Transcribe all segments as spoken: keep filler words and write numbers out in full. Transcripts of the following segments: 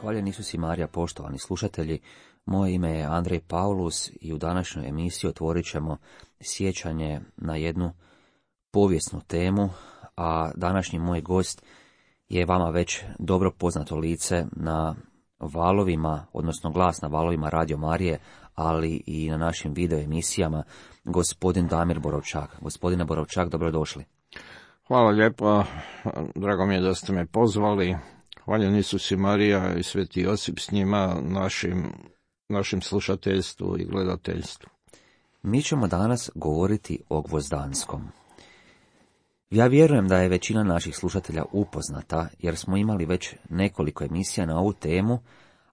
Hvaljen Isus i Marija, poštovani slušatelji. Moje ime je Andrej Paulus i u današnjoj emisiji otvorit ćemo sjećanje na jednu povijesnu temu, a današnji moj gost je vama već dobro poznato lice na valovima, odnosno glas na valovima Radio Marije, ali i na našim video emisijama, gospodin Damir Borovčak. Gospodine Borovčak, dobrodošli. Hvala lijepo, drago mi je da ste me pozvali. Hvaljen Isus i Marija i Sveti Josip s njima, našim, našim slušateljstvu i gledateljstvu. Mi ćemo danas govoriti o Gvozdanskom. Ja vjerujem da je većina naših slušatelja upoznata, jer smo imali već nekoliko emisija na ovu temu,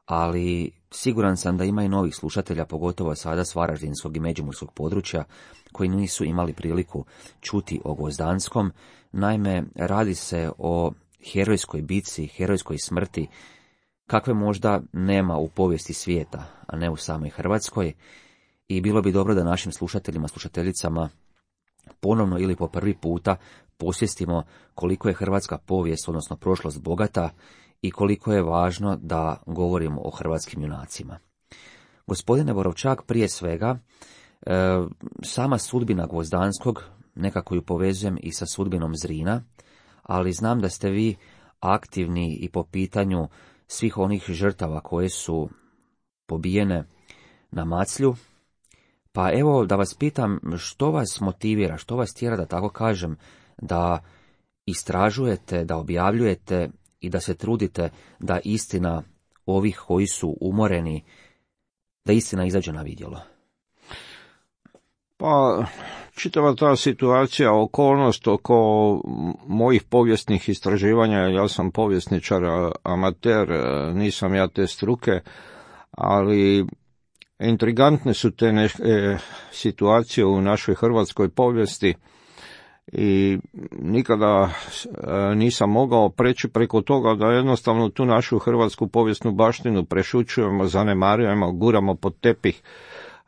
ali siguran sam da ima i novih slušatelja, pogotovo sada s varaždinskog i međimurskog područja, koji nisu imali priliku čuti o Gvozdanskom. Naime, radi se o herojskoj bitci, herojskoj smrti, kakve možda nema u povijesti svijeta, a ne u samoj Hrvatskoj, i bilo bi dobro da našim slušateljima, slušateljicama ponovno ili po prvi puta posvijestimo koliko je hrvatska povijest, odnosno prošlost, bogata i koliko je važno da govorimo o hrvatskim junacima. Gospodine Borovčak, prije svega, e, sama sudbina Gvozdanskog nekako ju povezujem i sa sudbinom Zrina, ali znam da ste vi aktivni i po pitanju svih onih žrtava koje su pobijene na Maclju. Pa evo da vas pitam, što vas motivira, što vas tjera, da tako kažem, da istražujete, da objavljujete i da se trudite da istina ovih koji su umoreni, da istina izađe na vidjelo? Pa, čitava ta situacija, okolnost oko mojih povijesnih istraživanja, ja sam povjesničar, amater, nisam ja te struke, ali intrigantne su te ne, e, situacije u našoj hrvatskoj povijesti i nikada e, nisam mogao preći preko toga da jednostavno tu našu hrvatsku povijesnu baštinu prešućujemo, zanemarujemo, guramo pod tepih.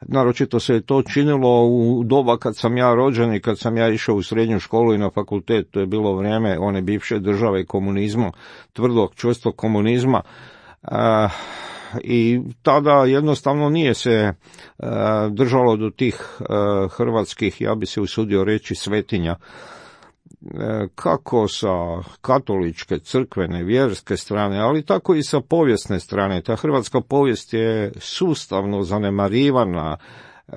Naročito se je to činilo u doba kad sam ja rođen i kad sam ja išao u srednju školu i na fakultet. To je bilo vrijeme one bivše države komunizma, tvrdog, čvrstog komunizma. E, I tada jednostavno nije se e, držalo do tih e, hrvatskih, ja bi se usudio reći, svetinja. E, kako sa katoličke, crkvene, vjerske strane, ali tako i sa povijesne strane. Ta hrvatska povijest je sustavno zanemarivana, e,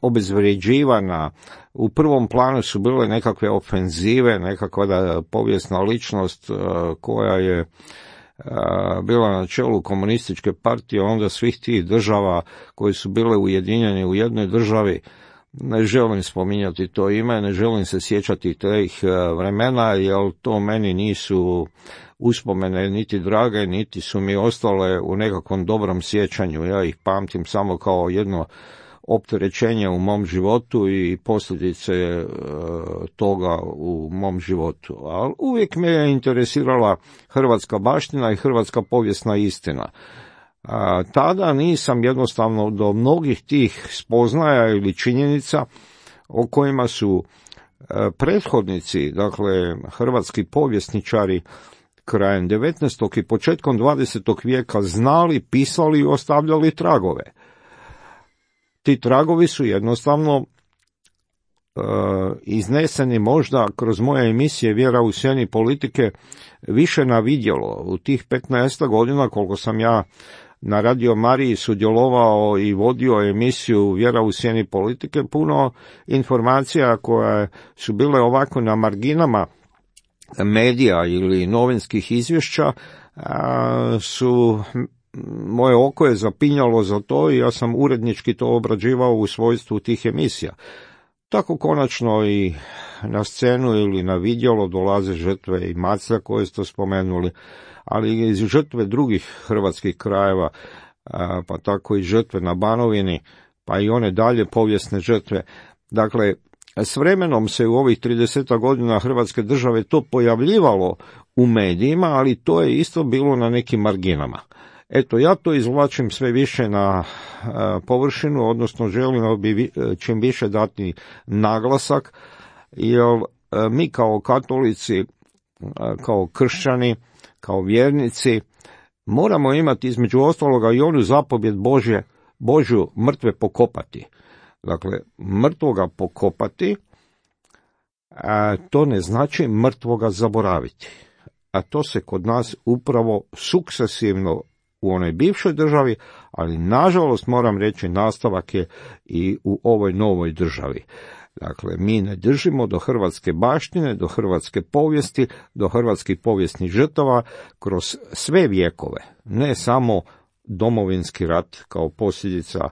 obezvređivana. U prvom planu su bile nekakve ofenzive, nekakva da, povijesna ličnost e, koja je bila na čelu komunističke partije, onda svih tih država koje su bile ujedinjene u jednoj državi. Ne želim spominjati to ime, ne želim se sjećati tih vremena, jer to meni nisu uspomene niti drage, niti su mi ostale u nekakvom dobrom sjećanju. Ja ih pamtim samo kao jedno opterećenje u mom životu i posljedice e, toga u mom životu. Ali uvijek me je interesirala hrvatska baština i hrvatska povijesna istina. A, tada nisam jednostavno do mnogih tih spoznaja ili činjenica o kojima su e, prethodnici, dakle hrvatski povjesničari krajem devetnaestog i početkom dvadesetog vijeka znali, pisali i ostavljali tragove. Ti tragovi su jednostavno e, izneseni možda kroz moje emisije Vjera u sjeni politike više na vidjelo. U tih petnaest godina koliko sam ja na Radio Mariji sudjelovao i vodio emisiju Vjera u sjeni politike, puno informacija koje su bile ovako na marginama medija ili novinskih izvješća a, su... Moje oko je zapinjalo za to i ja sam urednički to obrađivao u svojstvu tih emisija. Tako konačno i na scenu ili na vidjelo dolaze žrtve i Maclja koje ste spomenuli, ali i žrtve drugih hrvatskih krajeva, pa tako i žrtve na Banovini, pa i one dalje povijesne žrtve. Dakle, s vremenom se u ovih trideset godina Hrvatske države to pojavljivalo u medijima, ali to je isto bilo na nekim marginama. Eto, ja to izvlačim sve više na a, površinu, odnosno želim bi čim više dati naglasak, jer a, mi kao katolici, a, kao kršćani, kao vjernici, moramo imati između ostaloga i onu zapovjed Božje, Božju mrtve pokopati. Dakle, mrtvoga pokopati, a to ne znači mrtvoga zaboraviti. A to se kod nas upravo sukcesivno u onoj bivšoj državi, ali nažalost moram reći nastavak je i u ovoj novoj državi. Dakle, mi ne držimo do hrvatske baštine, do hrvatske povijesti, do hrvatskih povijesnih žrtava kroz sve vjekove, ne samo Domovinski rat kao posljedica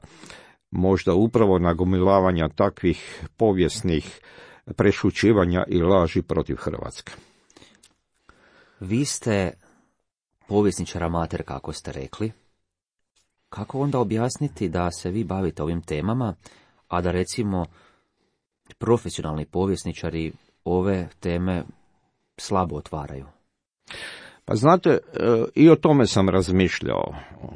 možda upravo nagomilavanja takvih povijesnih prešućivanja i laži protiv Hrvatske. Vi ste povjesničar amater, kako ste rekli. Kako onda objasniti da se vi bavite ovim temama, a da recimo profesionalni povjesničari ove teme slabo otvaraju? Pa znate, i o tome sam razmišljao.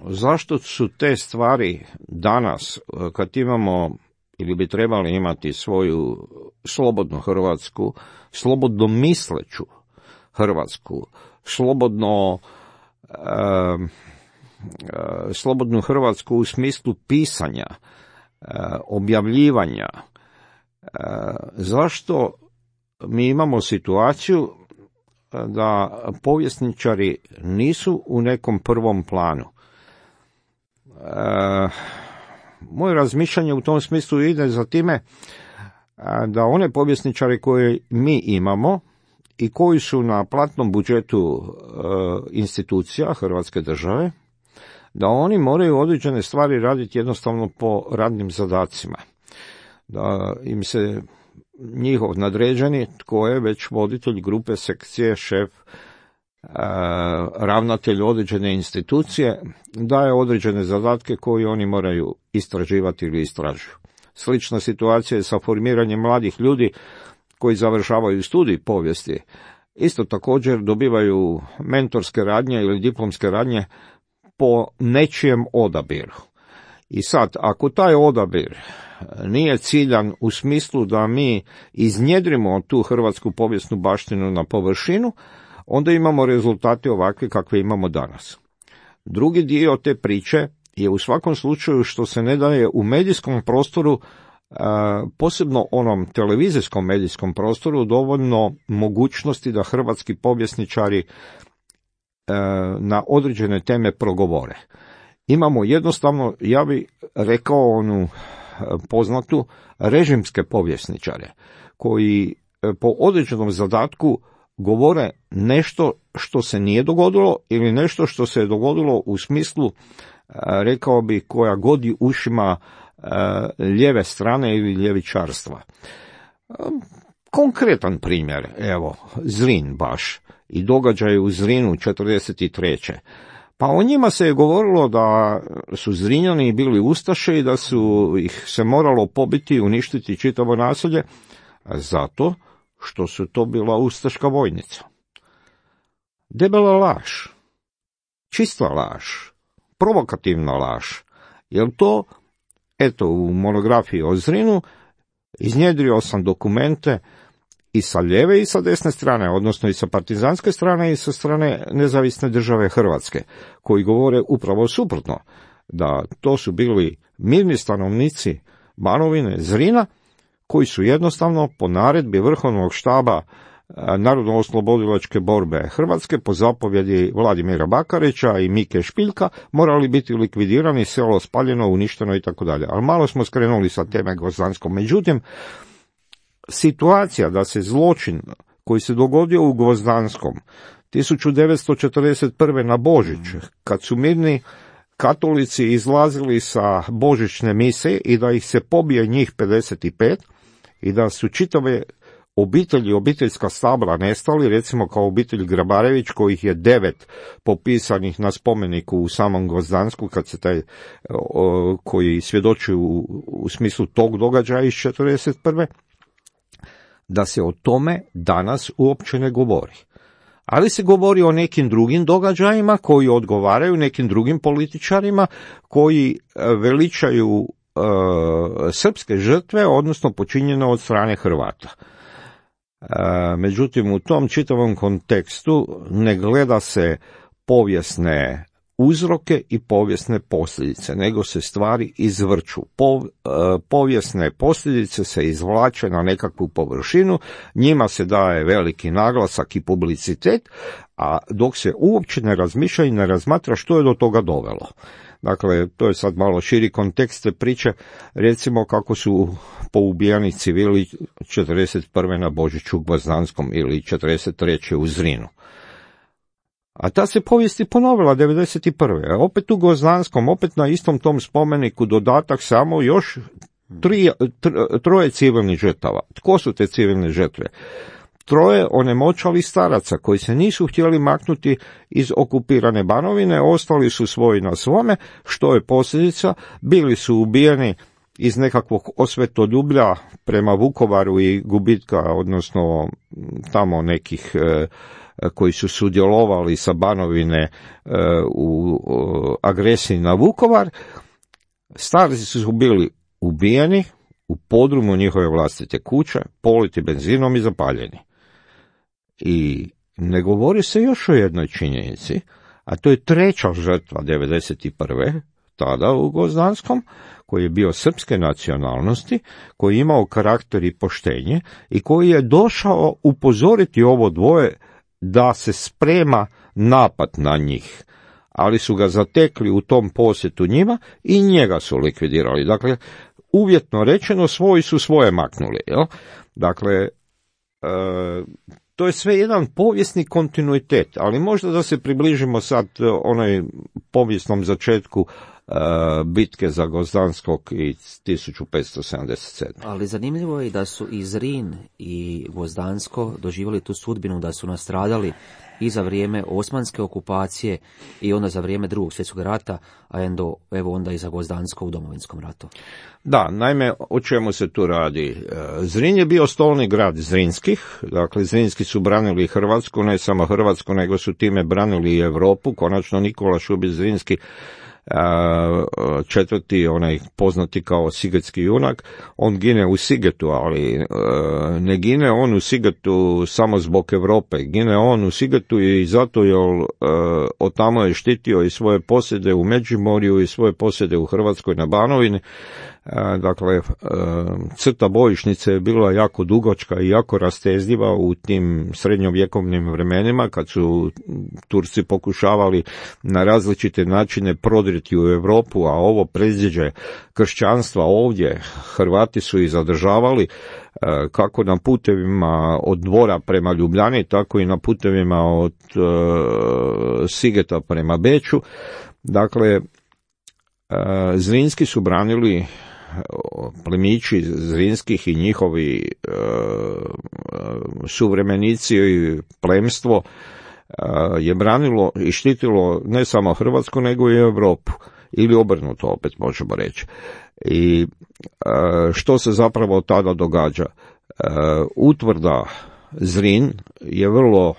Zašto su te stvari danas, kad imamo ili bi trebali imati svoju slobodnu Hrvatsku, slobodno misleću Hrvatsku, slobodno e, e, slobodnu Hrvatsku u smislu pisanja, e, objavljivanja, e, zašto mi imamo situaciju da povjesničari nisu u nekom prvom planu? E, moje razmišljanje u tom smislu ide za time da one povjesničare koje mi imamo i koji su na platnom budžetu e, institucija Hrvatske države, da oni moraju određene stvari raditi jednostavno po radnim zadacima. Da im se njihov nadređeni, tko je već voditelj grupe, sekcije, šef, e, ravnatelj određene institucije, daje određene zadatke koje oni moraju istraživati ili istražuju. Slična situacija je sa formiranjem mladih ljudi koji završavaju studij povijesti. Isto također dobivaju mentorske radnje ili diplomske radnje po nečijem odabiru. I sad, ako taj odabir nije ciljan u smislu da mi iznjedrimo tu hrvatsku povijesnu baštinu na površinu, onda imamo rezultate ovakve kakve imamo danas. Drugi dio te priče je u svakom slučaju što se ne daje u medijskom prostoru, posebno onom televizijskom medijskom prostoru, dovoljno mogućnosti da hrvatski povjesničari na određene teme progovore. Imamo jednostavno, ja bih rekao onu poznatu, režimske povjesničare, koji po određenom zadatku govore nešto što se nije dogodilo ili nešto što se je dogodilo u smislu, rekao bi, koja godi ušima lijeve strane ili ljevičarstva. Konkretan primjer, evo, Zrin baš i događaje u Zrinu četrdeset treće. Pa o njima se je govorilo da su Zrinjani bili ustaše i da su ih se moralo pobiti i uništiti čitavo naselje, zato što su to bila ustaška vojnica. Debela laž, čista laž, provokativna laž. Jel to, eto, u monografiji o Zrinu iznjedrio sam dokumente i sa lijeve i sa desne strane, odnosno i sa partizanske strane i sa strane Nezavisne države Hrvatske, koji govore upravo suprotno, da to su bili mirni stanovnici Banovine, Zrina, koji su jednostavno po naredbi Vrhovnog štaba Narodno-oslobodilačke borbe Hrvatske po zapovjedi Vladimira Bakarića i Mike Špiljka morali biti likvidirani, selo spaljeno, uništeno i tako dalje. Ali malo smo skrenuli sa teme Gvozdanskom. Međutim, situacija da se zločin koji se dogodio u Gvozdanskom tisuću devetsto četrdeset prve na Božić, kad su mirni katolici izlazili sa božićne mise i da ih se pobije njih pedeset pet i da su čitave obitelji, obiteljska stabla nestali, recimo kao obitelj Grabarević, kojih je devet popisanih na spomeniku u samom Gvozdansku, kad se taj, o, koji svjedoči u, u smislu tog događaja iz četrdeset prve da se o tome danas uopće ne govori. Ali se govori o nekim drugim događajima koji odgovaraju nekim drugim političarima koji veličaju e, srpske žrtve, odnosno počinjene od strane Hrvata. E, međutim, u tom čitavom kontekstu ne gleda se povijesne uzroke i povijesne posljedice, nego se stvari izvrću. Po, e, povijesne posljedice se izvlače na nekakvu površinu, njima se daje veliki naglasak i publicitet, a dok se uopće ne razmišlja i ne razmatra što je do toga dovelo. Dakle, to je sad malo širi kontekst te priče, recimo kako su poubijani civili četrdeset prve na Božiću u Gvozdanskom ili četrdeset treće u Zrinu. A ta se povijest i ponovila devedeset prve. Opet u Gvozdanskom, opet na istom tom spomeniku dodatak samo još tri, tr, troje civilnih žrtava. Tko su te civilne žrtve? Troje onemoćali staraca koji se nisu htjeli maknuti iz okupirane Banovine, ostali su svoji na svome, što je posljedica, bili su ubijeni iz nekakvog osvetoljublja prema Vukovaru i gubitka, odnosno tamo nekih e, koji su sudjelovali sa Banovine e, u o, agresiji na Vukovar. Starci su bili ubijeni u podrumu njihove vlastite kuće, politi benzinom i zapaljeni. I ne govori se još o jednoj činjenici, a to je treća žrtva devedeset prve, tada u Gvozdanskom, koji je bio srpske nacionalnosti, koji je imao karakter i poštenje i koji je došao upozoriti ovo dvoje da se sprema napad na njih, ali su ga zatekli u tom posjetu njima i njega su likvidirali. Dakle, uvjetno rečeno, svoji su svoje maknuli. Jel? Dakle, e, to je sve jedan povijesni kontinuitet, ali možda da se približimo sad onoj povijesnom začetku e, bitke za Gvozdanskog i tisuću petsto sedamdeset sedme. Ali zanimljivo je da su i Zrin i Gvozdansko doživjeli tu sudbinu da su nastradali i za vrijeme osmanske okupacije i onda za vrijeme Drugog svjetskog rata, a endo, evo onda i za Gvozdansko u Domovinskom ratu. Da, naime, o čemu se tu radi? Zrin je bio stolni grad Zrinskih, dakle Zrinski su branili Hrvatsku, ne samo Hrvatsku, nego su time branili i Europu. Konačno Nikola Šubić Zrinski, četvrti, onaj poznati kao sigetski junak, on gine u Sigetu, ali ne gine on u Sigetu samo zbog Europe, gine on u Sigetu i zato jer od tamo je štitio i svoje posjede u Međimorju i svoje posjede u Hrvatskoj na Banovini. Dakle, crta bojišnice je bila jako dugačka i jako rastezljiva u tim srednjovjekovnim vremenima kad su Turci pokušavali na različite načine prodriti u Europu, a ovo predziđe kršćanstva ovdje Hrvati su i zadržavali kako na putevima od Dvora prema Ljubljani, tako i na putevima od Sigeta prema Beču. Dakle, Zrinski su branili, plemići Zrinskih i njihovi e, suvremenici i plemstvo e, je branilo i štitilo ne samo Hrvatsku nego i Europu, ili obrnuto opet možemo reći. I e, što se zapravo tada događa? E, utvrda Zrin je vrlo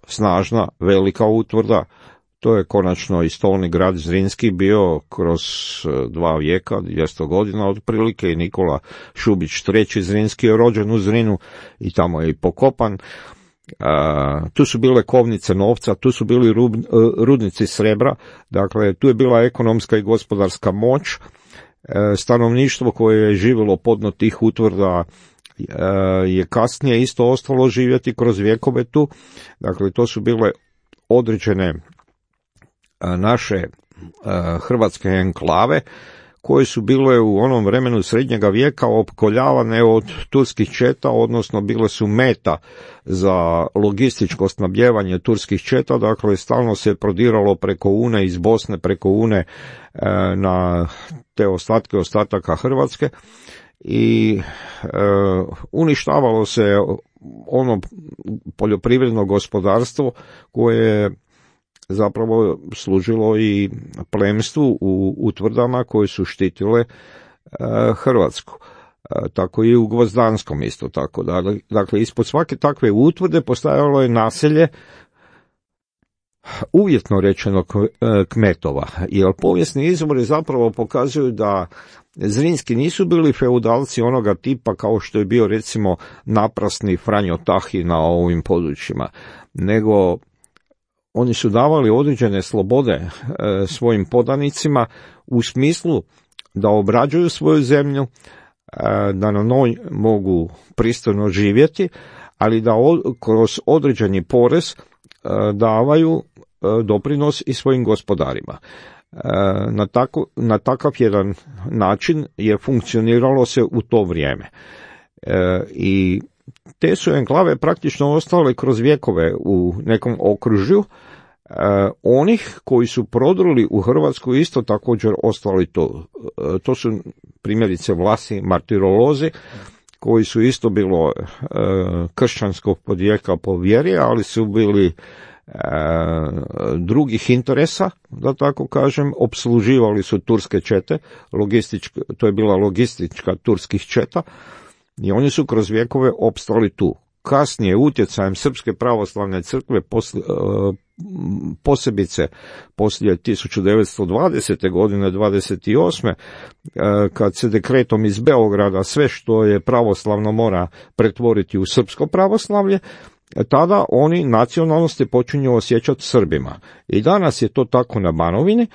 snažna, velika utvrda. To je konačno i stolni grad Zrinski bio kroz dva vijeka, dvjesto godina otprilike, i Nikola Šubić treći Zrinski je rođen u Zrinu i tamo je i pokopan. Uh, tu su bile kovnice novca, tu su bili rub, uh, rudnici srebra, dakle tu je bila ekonomska i gospodarska moć. Uh, stanovništvo koje je živjelo podno tih utvrda uh, je kasnije isto ostalo živjeti kroz vjekove tu. Dakle, to su bile određene naše hrvatske enklave koje su bile u onom vremenu srednjega vijeka opkoljavane od turskih četa, odnosno bile su meta za logističko snabdijevanje turskih četa, dakle stalno se prodiralo preko Une, iz Bosne preko Une na te ostatke ostataka Hrvatske i uništavalo se ono poljoprivredno gospodarstvo koje je zapravo služilo i plemstvu u utvrdama koje su štitile e, Hrvatsku. E, tako i u Gvozdanskom isto tako. Dakle, ispod svake takve utvrde postajalo je naselje, uvjetno rečeno kmetova, jer povijesni izvori zapravo pokazuju da Zrinski nisu bili feudalci onoga tipa kao što je bio recimo naprasni Franjo Tahi na ovim područjima, nego oni su davali određene slobode e, svojim podanicima u smislu da obrađuju svoju zemlju, e, da na njoj mogu pristojno živjeti, ali da od, kroz određeni porez e, davaju e, doprinos i svojim gospodarima. E, na, tako, na takav jedan način je funkcioniralo se u to vrijeme. E, I te su enklave praktično ostale kroz vjekove u nekom okružju. E, onih koji su prodruli u Hrvatsku isto također ostali to. E, to su primjerice Vlasi, martirolozi, koji su isto bilo e, kršćanskog podijeka po vjeri, ali su bili e, drugih interesa, da tako kažem, opsluživali su turske čete, logistička, to je bila logistička turskih četa, i oni su kroz vjekove opstali tu. Kasnije, utjecajem Srpske pravoslavne crkve, posle, posebice poslije tisuću devetsto dvadesete godine, dvadeset osme kad se dekretom iz Beograda sve što je pravoslavno mora pretvoriti u srpsko pravoslavlje, tada oni nacionalnosti počinju osjećati Srbima. I danas je to tako na Banovini,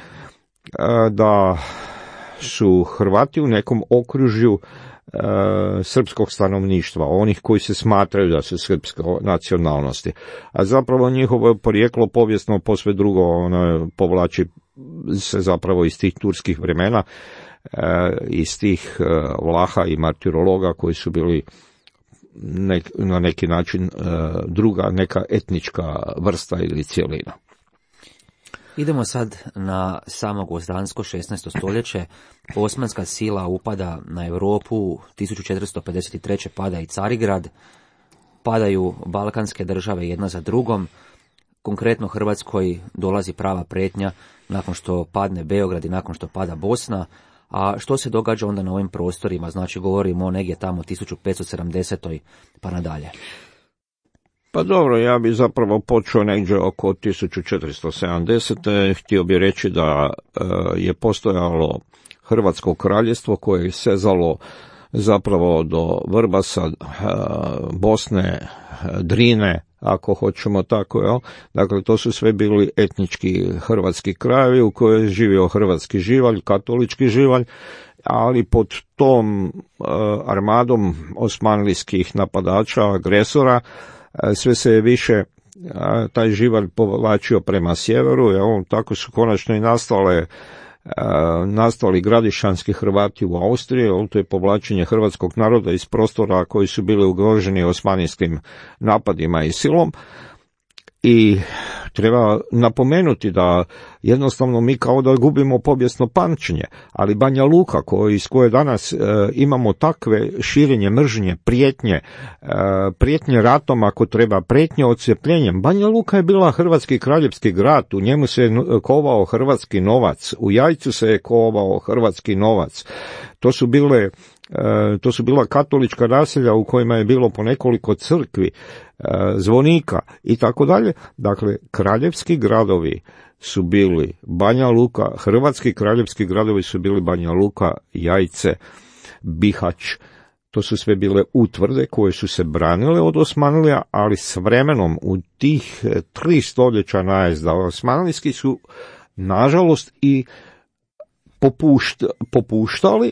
da su Hrvati u nekom okružju srpskog stanovništva, onih koji se smatraju da su srpske nacionalnosti, a zapravo njihovo porijeklo povijesno posve drugo, ono povlači se zapravo iz tih turskih vremena, iz tih Vlaha i martirologa koji su bili nek, na neki način druga neka etnička vrsta ili cjelina. Idemo sad na samo gvozdansko šesnaesto stoljeće. Osmanska sila upada na Europu, tisuću četiristo pedeset treće pada i Carigrad, padaju balkanske države jedna za drugom. Konkretno Hrvatskoj dolazi prava prijetnja nakon što padne Beograd i nakon što pada Bosna. A što se događa onda na ovim prostorima? Znači govorimo o negdje tamo tisuću petsto sedamdesetoj pa nadalje. Pa dobro, ja bi zapravo počeo negdje oko tisuću četiristo sedamdesete. Htio bi reći da e, je postojalo Hrvatsko kraljevstvo koje je sezalo zapravo do Vrbasa, e, Bosne, Drine, ako hoćemo tako, jel? Dakle, to su sve bili etnički hrvatski krajevi u kojoj je živio hrvatski živalj, katolički živalj, ali pod tom e, armadom osmanlijskih napadača, agresora, sve se je više taj živalj povlačio prema sjeveru, jel? Tako su konačno i nastale, nastali gradišanski Hrvati u Austriji, jel? To je povlačenje hrvatskog naroda iz prostora koji su bili ugroženi osmanijskim napadima i silom. I treba napomenuti da jednostavno mi kao da gubimo povijesno pamćenje, ali Banja Luka koji, iz koje danas e, imamo takve širenje mržnje, prijetnje, e, prijetnje ratom ako treba, prijetnje odcjepljenjem. Banja Luka je bila hrvatski kraljevski grad, u njemu se je kovao hrvatski novac, u Jajcu se je kovao hrvatski novac. To su bile E, to su bila katolička naselja u kojima je bilo po nekoliko crkvi, e, zvonika i tako dalje. Dakle, kraljevski gradovi su bili Banja Luka, hrvatski kraljevski gradovi su bili Banja Luka, Jajce, Bihać. To su sve bile utvrde koje su se branile od Osmanlija, ali s vremenom u tih tri stoljeća najezda osmanlijski su nažalost i popušt, popuštali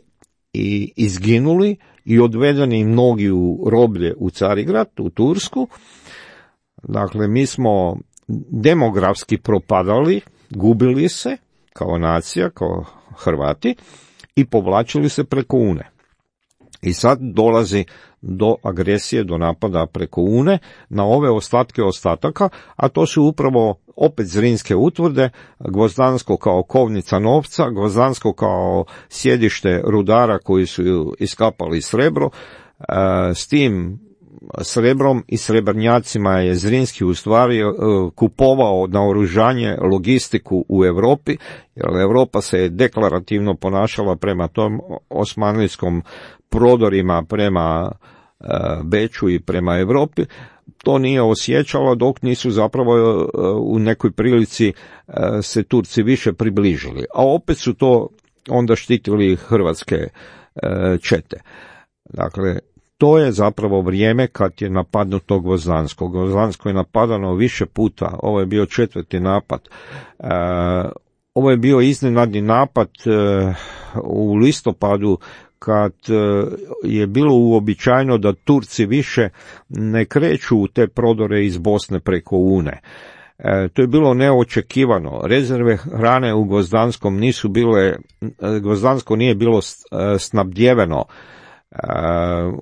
i izginuli i odvedeni mnogi u roblje u Carigrad, u Tursku. Dakle, mi smo demografski propadali, gubili se kao nacija, kao Hrvati i povlačili se preko Une. I sad dolazi do agresije, do napada preko Une na ove ostatke ostataka, a to su upravo opet Zrinske utvrde, Gvozdansko kao kovnica novca, Gvozdansko kao sjedište rudara koji su iskapali srebro. S tim srebrom i srebrnjacima je Zrinski u stvari kupovao naoružanje, logistiku u Europi, jer Europa se je deklarativno ponašala prema tom osmanlijskom prodorima prema Beču i prema Europi. To nije osjećalo dok nisu zapravo u nekoj prilici se Turci više približili. A opet su to onda štitili hrvatske čete. Dakle, to je zapravo vrijeme kad je napadnuto Gvozdansko. Gvozdansko je napadano više puta, ovo je bio četvrti napad. E, ovo je bio iznenadni napad e, u listopadu, kad je bilo uobičajeno da Turci više ne kreću u te prodore iz Bosne preko Une. E, to je bilo neočekivano. Rezerve hrane u Gvozdanskom nisu bile, Gvozdansko nije bilo snabdjeveno. E,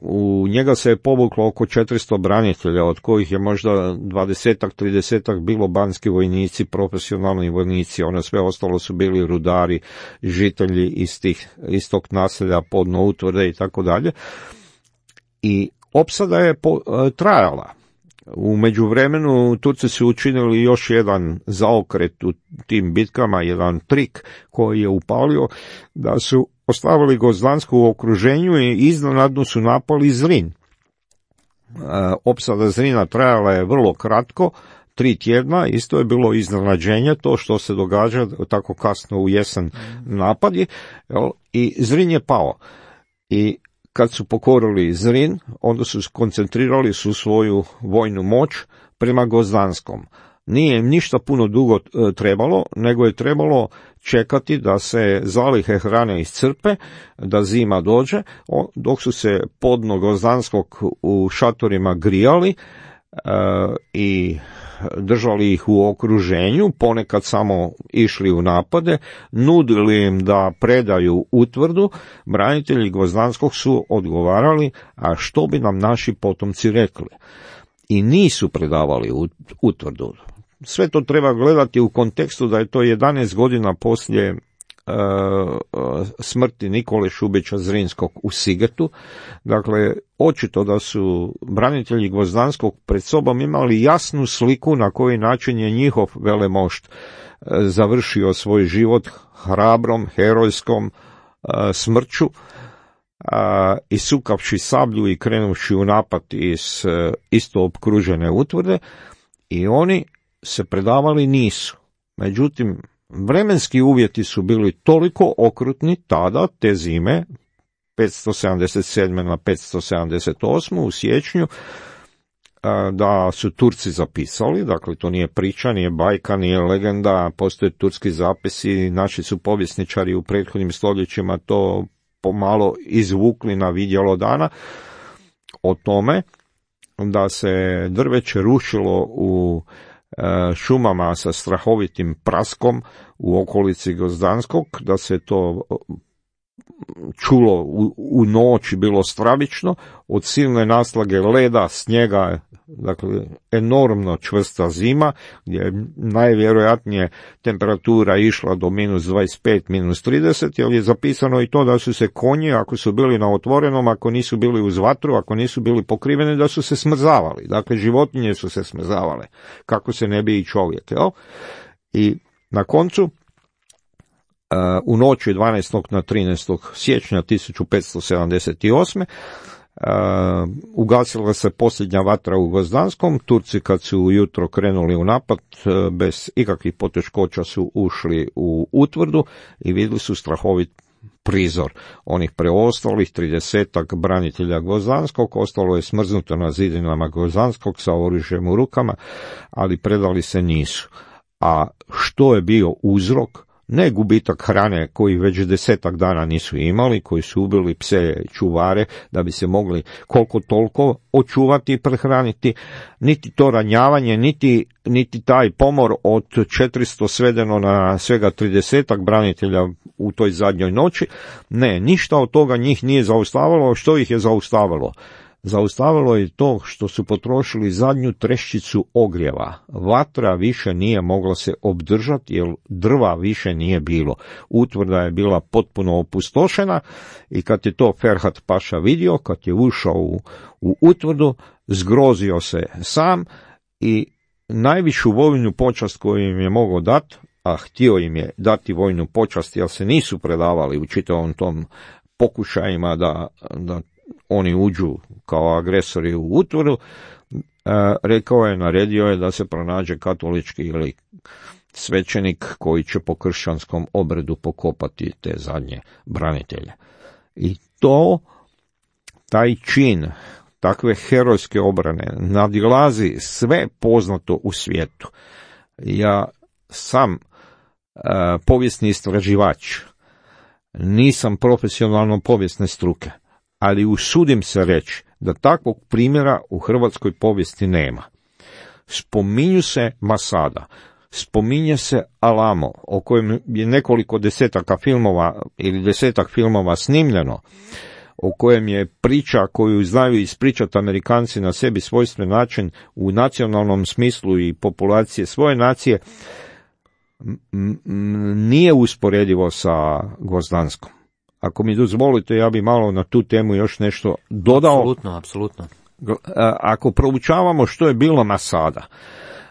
u njega se je povuklo oko četiristo branitelja, od kojih je možda dvadesetak, tridesetak bilo banski vojnici, profesionalni vojnici, ono sve ostalo su bili rudari, žitelji iz, tih, iz tog naselja, Podno utvrde i tako dalje. I opsada je po, e, trajala. U međuvremenu Turci su učinili još jedan zaokret u tim bitkama, jedan trik koji je upalio, da su ostavili Gvozdansko u okruženju i iznenadno su napali Zrin. E, opsada Zrina trajala je vrlo kratko, tri tjedna, isto je bilo iznenađenje to što se događa tako kasno u jesen napadi, jel, i Zrin je pao. I kad su pokorili Zrin, onda su koncentrirali su svoju vojnu moć prema Gvozdanskom. Nije im ništa puno dugo trebalo, nego je trebalo čekati da se zalihe hrane iscrpe, da zima dođe, dok su se podno Gvozdanskog u šatorima grijali e, i držali ih u okruženju, ponekad samo išli u napade, nudili im da predaju utvrdu, branitelji Gvozdanskog su odgovarali, a što bi nam naši potomci rekli? I nisu predavali utvrdu. Sve to treba gledati u kontekstu da je to jedanaest godina poslije e, smrti Nikole Šubića Zrinskog u Sigetu. Dakle, očito da su branitelji Gvozdanskog pred sobom imali jasnu sliku na koji način je njihov velemošt e, završio svoj život hrabrom, herojskom e, smrću, a, isukavši sablju i krenuvši u napad iz e, isto opkružene utvrde, i oni se predavali nisu. Međutim, vremenski uvjeti su bili toliko okrutni tada, te zime, petsto sedamdeset sedme na petsto sedamdeset osme u siječnju, da su Turci zapisali, dakle to nije priča, nije bajka, nije legenda, postoje turski zapisi, naši su povjesničari u prethodnim stoljećima to pomalo izvukli na vidjelo dana, o tome da se drveće rušilo u šumama sa strahovitim praskom u okolici Gvozdanskog, da se to čulo u, u noći, bilo stravično, od silne naslage leda, snijega, dakle enormno čvrsta zima, gdje je najvjerojatnije temperatura išla do minus dvadeset pet, minus trideset, jer je zapisano i to da su se konji, ako su bili na otvorenom, ako nisu bili uz vatru, ako nisu bili pokriveni, da su se smrzavali. Dakle, životinje su se smrzavale, kako se ne bi i čovjek. Jel? I na koncu, u noći dvanaestog na trinaestog siječnja tisuću petsto sedamdeset osme Uh, ugasila se posljednja vatra u Gvozdanskom. Turci kad su ujutro krenuli u napad, uh, bez ikakvih poteškoća su ušli u utvrdu i vidjeli su strahovit prizor onih preostalih tridesetak branitelja Gvozdanskog. Ostalo je smrznuto na zidinama Gvozdanskog sa oružjem u rukama, ali predali se nisu. A što je bio uzrok? Ne gubitak hrane koji već desetak dana nisu imali, koji su ubili pse čuvare da bi se mogli koliko toliko očuvati i prehraniti, niti to ranjavanje, niti, niti taj pomor od četiristo svedeno na svega tridesetak branitelja u toj zadnjoj noći. Ne, ništa od toga njih nije zaustavilo. Što ih je zaustavilo? Zaustavilo je to što su potrošili zadnju treščicu ogrijeva. Vatra više nije mogla se obdržati jer drva više nije bilo. Utvrda je bila potpuno opustošena i kad je to Ferhat Paša vidio, kad je ušao u, u utvrdu, zgrozio se sam i najvišu vojnu počast koju im je mogao dati, a htio im je dati vojnu počast jer se nisu predavali u čitavom tom pokušajima da, da oni uđu kao agresori u utvrdu, e, rekao je, naredio je da se pronađe katolički ili svećenik koji će po kršćanskom obredu pokopati te zadnje branitelje. I to taj čin takve herojske obrane nadilazi sve poznato u svijetu. Ja sam uh, povijesni istraživač, nisam profesionalno povijesne struke, ali usudim se reći da takvog primjera u hrvatskoj povijesti nema. Spominju se Masada, spominje se Alamo, o kojem je nekoliko desetaka filmova ili desetak filmova snimljeno, o kojem je priča koju znaju ispričati Amerikanci na sebi svojstven način u nacionalnom smislu i populacije svoje nacije, nije usporedivo sa Gvozdanskom. Ako mi dozvolite, ja bi malo na tu temu još nešto dodao. Apsolutno, apsolutno. Ako proučavamo što je bilo Masada.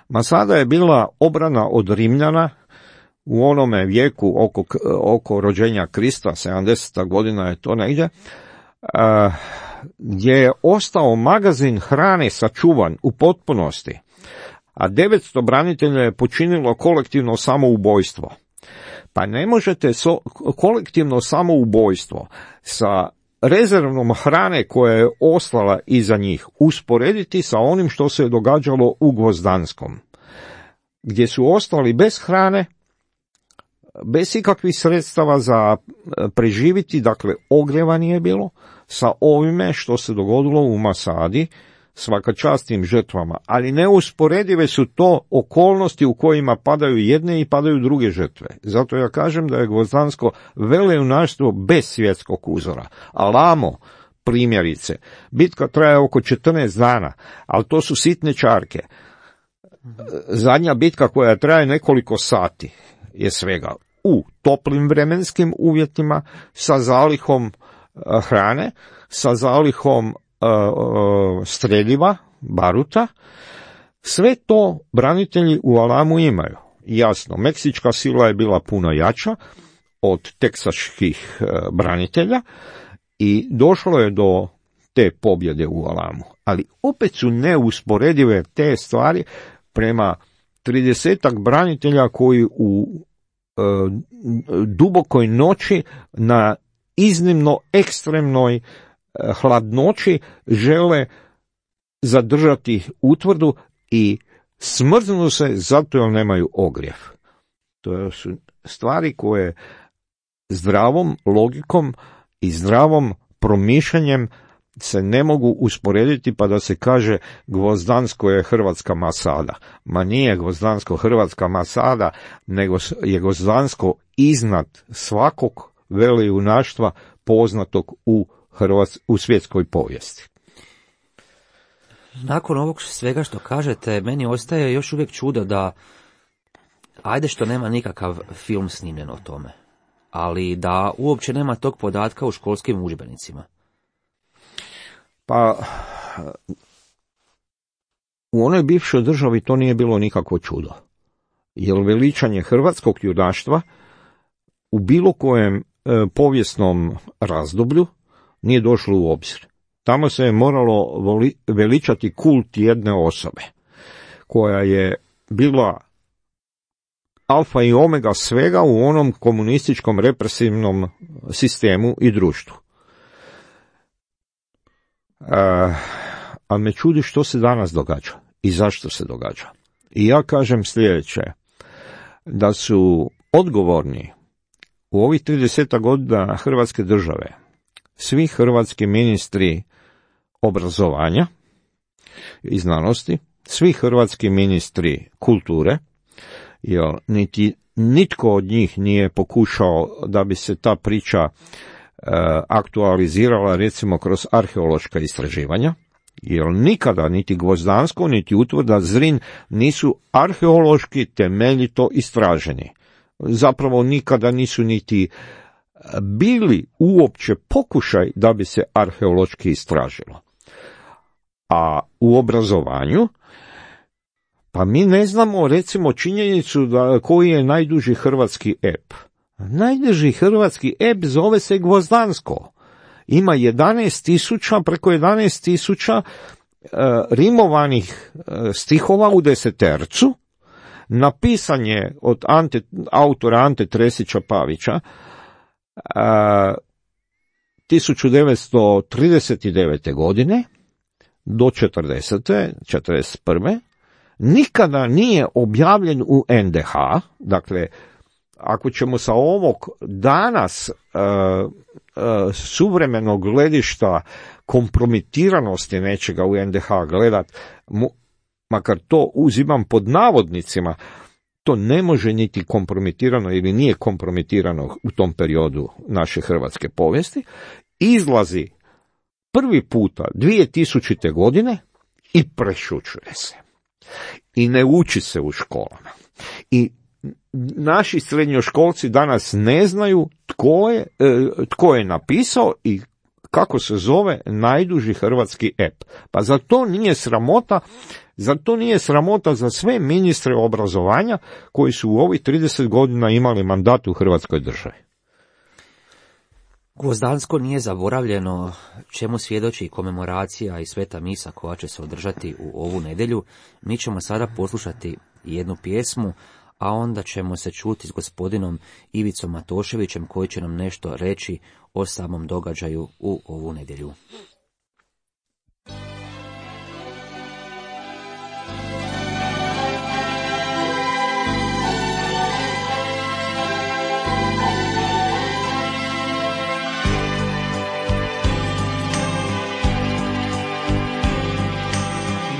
Masada je bila obrana od Rimljana u onome vijeku oko, oko rođenja Krista, sedamdeseta godina je to negdje, gdje je ostao magazin hrane sačuvan u potpunosti, a devetsto branitelja je počinilo kolektivno samoubojstvo. Pa ne možete so, kolektivno samoubojstvo sa rezervnom hrane koja je ostala iza njih usporediti sa onim što se je događalo u Gvozdanskom, gdje su ostali bez hrane, bez ikakvih sredstava za preživiti, dakle ogrijeva nije bilo, sa ovime što se dogodilo u Masadi, svaka čast tim žrtvama, ali neusporedive su to okolnosti u kojima padaju jedne i padaju druge žrtve. Zato ja kažem da je Gvozdansko velejunaštvo bez svjetskog uzora. Alamo, primjerice, bitka traje oko četrnaest dana, ali to su sitne čarke. Zadnja bitka koja traje nekoliko sati je svega u toplim vremenskim uvjetima, sa zalihom hrane, sa zalihom streljiva, baruta. Sve to branitelji u Alamu imaju. Jasno, meksička sila je bila puno jača od teksaških branitelja i došlo je do te pobjede u Alamu. Ali opet su neusporedive te stvari prema tridesetak branitelja koji u e, dubokoj noći na iznimno ekstremnoj hladnoći žele zadržati utvrdu i smrznu se zato jer nemaju ogrjev. To su stvari koje zdravom logikom i zdravom promišljanjem se ne mogu usporediti pa da se kaže Gvozdansko je hrvatska Masada. Ma nije Gvozdansko hrvatska Masada, nego je Gvozdansko iznad svakog velejunaštva poznatog u Hrvats, u svjetskoj povijesti. Nakon ovog svega što kažete, meni ostaje još uvijek čudo da, ajde što nema nikakav film snimljen o tome, ali da uopće nema tog podatka u školskim udžbenicima. Pa, u onoj bivšoj državi to nije bilo nikakvo čudo, jer veličanje hrvatskog junaštva u bilo kojem e, povijesnom razdoblju nije došlo u obzir. Tamo se je moralo voli, veličati kult jedne osobe, koja je bila alfa i omega svega u onom komunističkom represivnom sistemu i društvu. E, a me čudi što se danas događa i zašto se događa. I ja kažem sljedeće, da su odgovorni u ovih trideset godina Hrvatske države svi hrvatski ministri obrazovanja i znanosti, svi hrvatski ministri kulture, jer niti nitko od njih nije pokušao da bi se ta priča e, aktualizirala recimo kroz arheološka istraživanja, jer nikada niti Gvozdansko niti utvrda Zrin nisu arheološki temeljito istraženi. Zapravo nikada nisu niti bili uopće pokušaj da bi se arheološki istražilo. A u obrazovanju, pa mi ne znamo recimo činjenicu da koji je najduži hrvatski ep. Najduži hrvatski ep zove se Gvozdansko. Ima jedanaest tisuća, preko jedanaest tisuća e, rimovanih e, stihova u desetercu. Napisan je od Ante, autora Ante Tresića Pavića, tisuću devetsto trideset devete. godine do četrdesete. četrdeset prve. nikada nije objavljen u en de ha, dakle, ako ćemo sa ovog danas uh, uh, suvremenog gledišta kompromitiranosti nečega u en de ha gledat, mu, makar to uzimam pod navodnicima, to ne može niti kompromitirano ili nije kompromitirano u tom periodu naše hrvatske povijesti, izlazi prvi puta dvije tisućite. godine i prešućuje se. I ne uči se u školama. I naši srednjoškolci danas ne znaju tko je, tko je napisao i kako se zove najduži hrvatski ep. Pa za to nije sramota, za to nije sramota za sve ministre obrazovanja koji su u ovih trideset godina imali mandat u Hrvatskoj državi. Gvozdansko nije zaboravljeno, čemu svjedoči komemoracija i sveta misa koja će se održati u ovu nedjelju. Mi ćemo sada poslušati jednu pjesmu, a onda ćemo se čuti s gospodinom Ivicom Matoševićem koji će nam nešto reći o samom događaju u ovu nedjelju.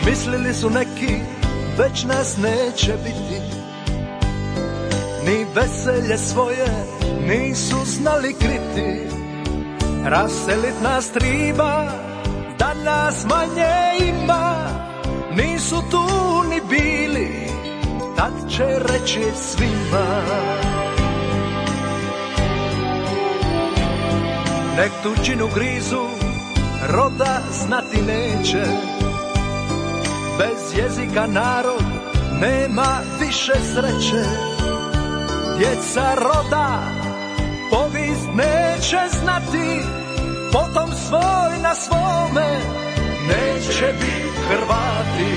Mislili su neki, već nas neće biti, ni veselje svoje nisu znali kriti. Raselit nas triba, da nas manje ima, nisu tu ni bili, tad će reći svima. Nek tuđinu grizu, roda znati neće, bez jezika narod nema više sreće. Djeca roda povijest neće znati, potom svoj na svome neće biti Hrvati.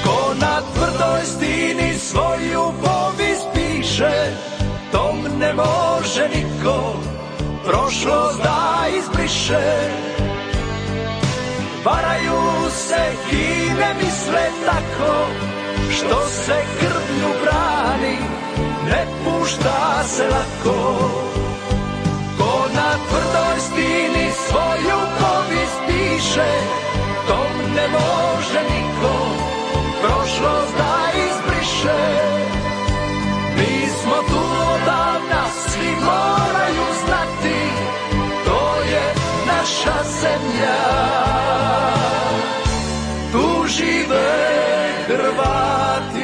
Ko na tvrdoj stini svoju povijest piše, tom ne može niko prošlost da izbriše. Varaju se i ne misle tako, što se krvlju brani, ne pušta se lako. Ko na tvrdoj stini svoju povijest piše, tom ne može niko prošlost da izbriše. Mi smo tu odavna, svi moraju znati, to je naša zemlja. Tu žive Hrvati.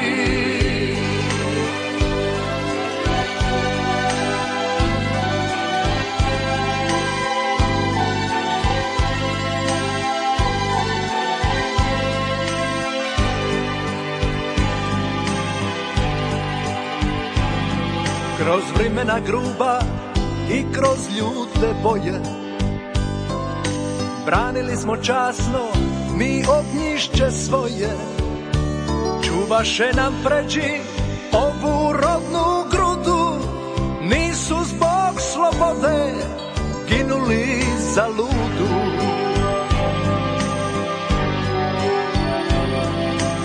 Kroz vremena gruba i kroz ljute boje, branili smo časno mi ognjišće svoje. Čuvaše nam pređi ovu rodnu grudu, nisu zbog slobode ginuli za ludu.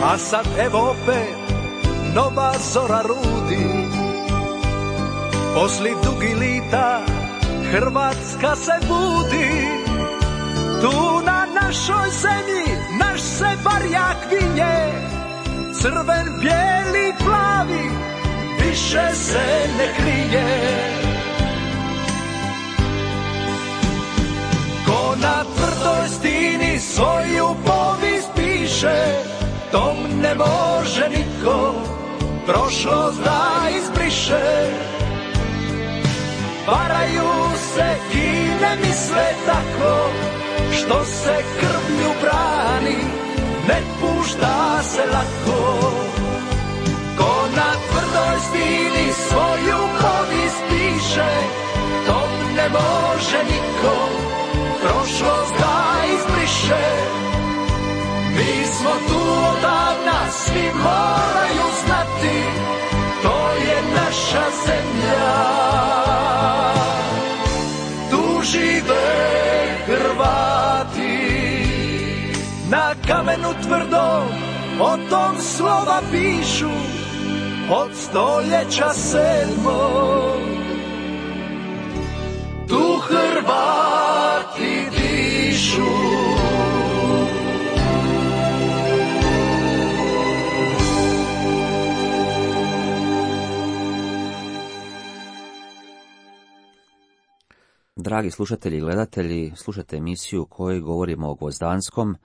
A sad evo opet nova zora rudi, posli dugi lita Hrvatska se budi. Tu na našoj zemlji naš se barjak vinje, crven, bijeli, plavi, više se ne krije. Ko na tvrdoj stini svoju povijest piše, tom ne može niko prošlost da izbriše. Varaju se i ne misle tako, što se krvlju brani, ne pušta se lako. Ko na tvrdoj stini svoju povijest piše, tom ne može niko prošlost da izbriše. Mi smo tu odavna, svi moraju znati, to je naša zemlja. žive Hrvati. Na kamenu tvrdo o tom slova pišu od stoljeća sedmog. Tu Hrvati dišu. Dragi slušatelji i gledatelji, slušate emisiju u kojoj govorimo o Gvozdanskom.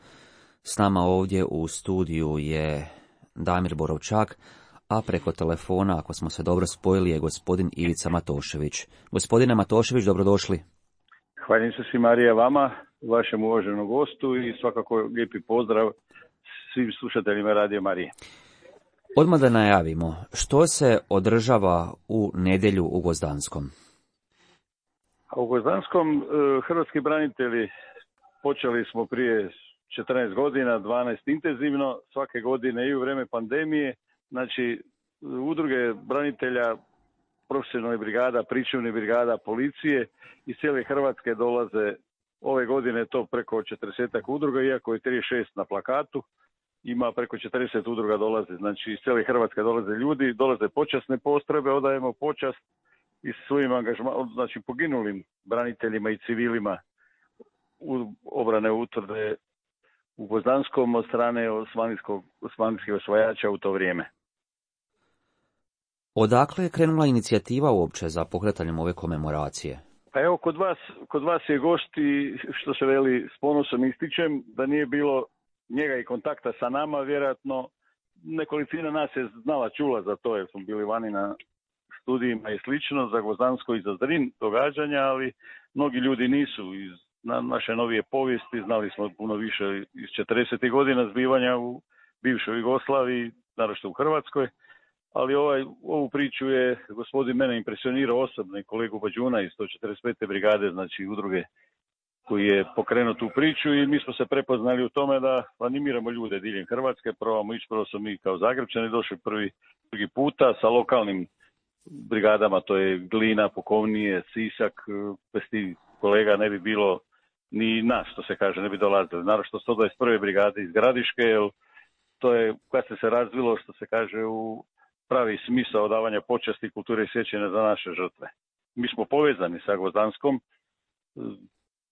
S nama ovdje u studiju je Damir Borovčak, a preko telefona, ako smo se dobro spojili, je gospodin Ivica Matošević. Gospodine Matošević, dobrodošli. Hvala se svi, Marija, vama, vašem uvaženom gostu i svakako lijepi pozdrav svim slušateljima Radio Marije. Odmah da najavimo, što se održava u nedjelju u Gvozdanskom? A u Gvozdanskom hrvatski branitelji počeli smo prije četrnaest godina, dvanaest intenzivno, svake godine i u vrijeme pandemije. Znači, udruge branitelja, profesionalnih brigada, pričuvnih brigada, policije iz cijele Hrvatske dolaze. Ove godine to preko četrdeset udruga, iako je trideset šest na plakatu, ima preko četrdeset udruga dolaze. Znači, iz cijele Hrvatske dolaze ljudi, dolaze počasne postrojbe, odajemo počast i svojim angažmanom, znači poginulim braniteljima i civilima u obrane utvrde u Gvozdanskom od strane osmanlijskih osvajača u to vrijeme. Odakle je krenula inicijativa uopće za pokretanjem ove komemoracije? Pa evo, kod vas, kod vas je gost i što se veli s ponosom ističem, da nije bilo njega i kontakta sa nama, vjerojatno nekolicina nas je znala, čula za to jer smo bili vani na studijima i slično, za Gvozdansko i za Zrin događanja, ali mnogi ljudi nisu iz na naše novije povijesti, znali smo puno više iz četrdesetih godina zbivanja u bivšoj Jugoslaviji, naročito u Hrvatskoj, ali ovaj, ovu priču je gospodin mene impresionirao osobno i kolegu Bađuna iz sto četrdeset pete brigade, znači udruge koji je pokrenuo tu priču i mi smo se prepoznali u tome da animiramo ljude diljem Hrvatske, probamo ići, prvo smo mi kao Zagrebčani došli prvi, drugi puta sa lokalnim brigadama, to je Glina, Pukovnije, Sisak, bez tih kolega ne bi bilo ni nas, što se kaže, ne bi dolazili. Naravno sto dvadeset prve brigade iz Gradiške, jer to je kad se se razvilo, što se kaže, u pravi smisao davanja počasti, kulture i sjećanja za naše žrtve. Mi smo povezani sa Gvozdanskom,